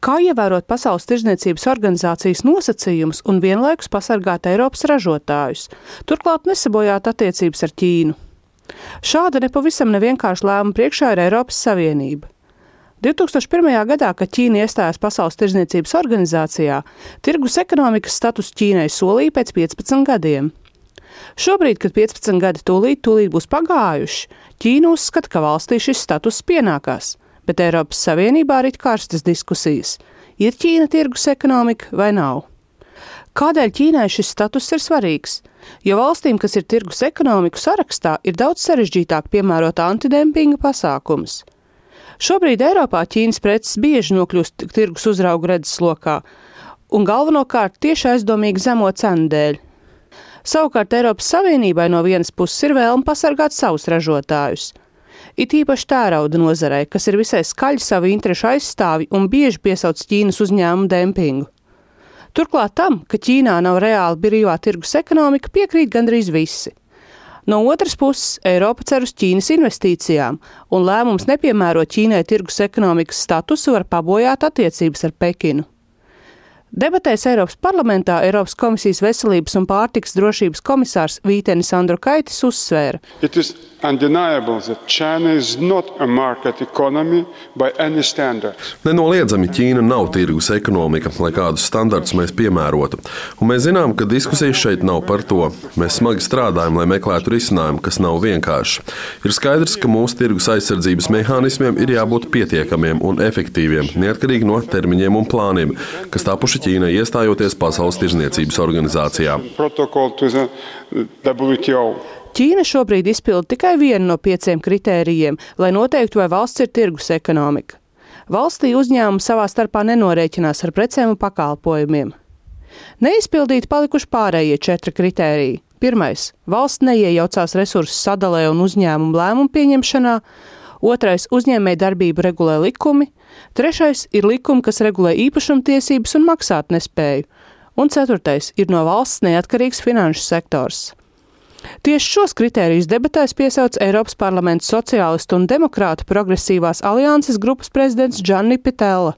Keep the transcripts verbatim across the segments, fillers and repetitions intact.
Kā ievērot Pasaules tirdzniecības organizācijas nosacījumus un vienlaikus pasargāt Eiropas ražotājus, turklāt nesabojāt attiecības ar Ķīnu? Šāda nepavisam nevienkārša lēmuma priekšā ir Eiropas Savienība. divi tūkstoši pirmajā gadā, kad Ķīna iestājās Pasaules tirdzniecības organizācijā, tirgus ekonomikas status Ķīnai solīja pēc piecpadsmit gadiem. Šobrīd, kad piecpadsmit gadi tūlīt, tūlīt būs pagājuši, Ķīna uzskata, ka valstī šis status pienākās, bet Eiropas Savienībā ir karstas diskusijas. Ir Ķīna tirgus ekonomika vai nav? Kādēļ Ķīnai šis status ir svarīgs? Jo valstīm, kas ir tirgus ekonomiku sarakstā, ir daudz sarežģītāk piemērot antidempinga pasākumus. Šobrīd Eiropā Ķīnas preces bieži nokļūst tirgus uzraugu redzeslokā, un galvenokārt tieši aizdomīgi zemo cenu dēļ. Savukārt Eiropas Savienībai no vienas puses ir vēlme pasargāt savus ražotājus. It īpaši tērauda nozarei, kas ir visai skaļi savu interešu aizstāvi un bieži piesauc Ķīnas uzņēmumu dempingu. Turklāt tam, ka Ķīnā nav reāli brīvā tirgus ekonomika, piekrīt gandrīz visi. No otras puses, Eiropa cer uz Ķīnas investīcijām, un lēmums nepiemērot Ķīnai tirgus ekonomikas statusu var pabojāt attiecības ar Pekinu. Debatēs Eiropas parlamentā Eiropas komisijas veselības un pārtikas drošības komisārs Vītenis Andrukaitis uzsvēra. Nenoliedzami Ķīna nav tirgus ekonomika, lai kādus standartus mēs piemērotu. Un mēs zinām, ka diskusijas šeit nav par to. Mēs smagi strādājam, lai meklētu risinājumu, kas nav vienkārši. Ir skaidrs, ka mūsu tirgus aizsardzības mehānismiem ir jābūt pietiekamiem un efektīviem, neatkarīgi no termiņiem un plāniem, kas tapuši Ķīnai iestājoties Pasaules tirdzniecības organizācijā. Ķīna šobrīd izpilda tikai vienu no pieciem kritērijiem, lai noteiktu, vai valsts ir tirgus ekonomika. Valstī uzņēmumi savā starpā nenorēķinās ar precēm un pakalpojumiem. Neizpildīti palikuši pārējie četri kritēriji. Pirmais – valsts neiejaucās resursu sadalē un uzņēmumu lēmumu pieņemšanā. Otrais – uzņēmēju darbību regulē likumi. Trešais ir likumi, kas regulē īpašumtiesības un maksātnespēju. Un ceturtais ir no valsts neatkarīgs finanšu sektors. Tieši šos kritērijus debatēs piesauc Eiropas parlamenta sociālistu un demokrātu progresīvās alianses grupas prezidents Gianni Pittella.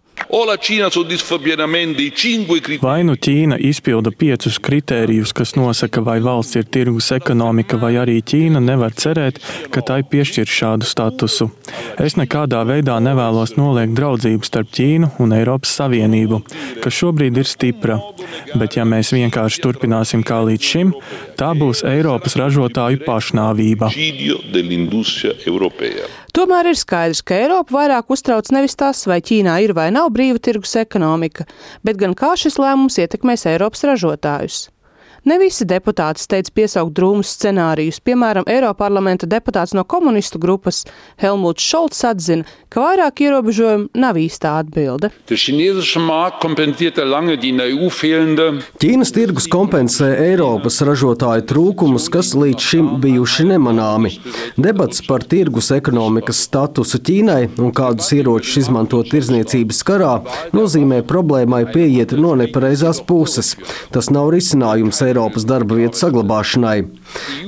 Vai nu Ķīna izpilda piecus kritērijus, kas nosaka, vai valsts ir tirgus ekonomika, vai arī Ķīna nevar cerēt, ka tai piešķir šādu statusu. Es nekādā veidā nevēlos noliegt draudzību starp Ķīnu un Eiropas Savienību, kas šobrīd ir stipra. Bet ja mēs vienkārši turpināsim kā līdz šim, tā būs Eiropas ražotāju pašnāvība. Tomēr ir skaidrs, ka Eiropa vairāk uztrauc nevis tas, vai Ķīnā ir vai nav brīva tirgus ekonomika, bet gan kā šis lēmums ietekmēs Eiropas ražotājus. Ne visi deputāti steidz piesaukt drūmus scenārijus. Piemēram, Eiroparlamenta deputāts no komunistu grupas Helmuts Šolts atzina, ka vairāk ierobežojumu nav īstā atbilde. Ķīnas tirgus kompensē Eiropas ražotāju trūkumus, kas līdz šim bijuši nemanāmi. Debats par tirgus ekonomikas statusu Ķīnai un kādus ieročus izmanto tirdzniecības karā nozīmē problēmai pieiet no nepareizās puses. Tas nav risinājums Eiropas darba vietu saglabāšanai.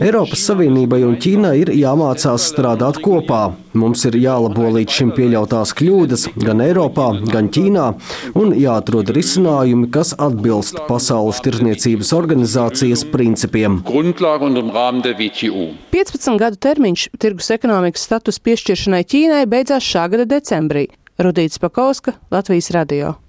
Eiropas Savienībai un Ķīnai ir jāmācās strādāt kopā. Mums ir jālabo līdz šim pieļautās kļūdas gan Eiropā, gan Ķīnā un jāatrod risinājumi, kas atbilst Pasaules tirdzniecības organizācijas principiem. piecpadsmit gadu termiņš tirgus ekonomikas status piešķiršanai Ķīnai beidzās šā gada decembrī. Rudīta Spakovska, Latvijas radio.